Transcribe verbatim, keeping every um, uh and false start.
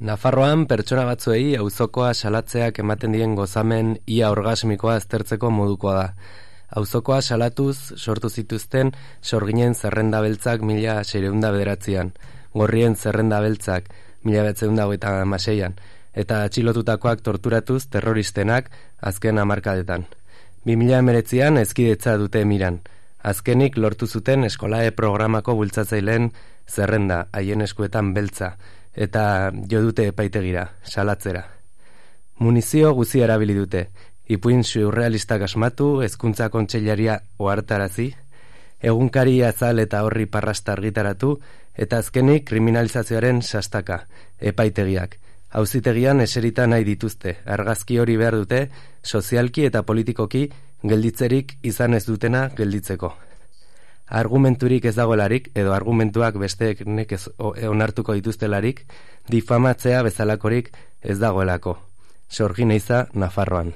Nafarroan pertsona batzuei auzokoa salatzeak ematen dien gozamen ia orgasmikoa aztertzeko modukoa da. Auzokoa salatuz sortu zituzten sorginen zerrenda beltzak mila seiehun bederatzian, gorrien zerrenda beltzak mila bederatziehun eta hogeita hamaseian, eta atxilotutakoak torturatuz terroristenak azken hamarkadetan. bi mila hemeretzian hezkidetza dute miran. Azkenik lortu zuten eskolae programako bultzatzaileen zerrenda, haien eskuetan beltza, eta jo dute epaitegira, salatzera. Munizio guzi erabili dute, ipuin surrealistak asmatu, hezkuntza kontseilaria ohartarazi, egunkari azal eta horri parrasta argitaratu, eta azkenik kriminalizazioaren sastaka, epaitegiak. Auzitegian eserita nahi dituzte, argazki hori behar dute, sozialki eta politikoki gelditzerik izan ez dutena gelditzeko. Argumenturik ez dagoelarik, edo argumentuak besteek nekez onartuko dituztelarik, difamatzea bezalakorik ez dagoelako. Sorgin eiza, Nafarroan.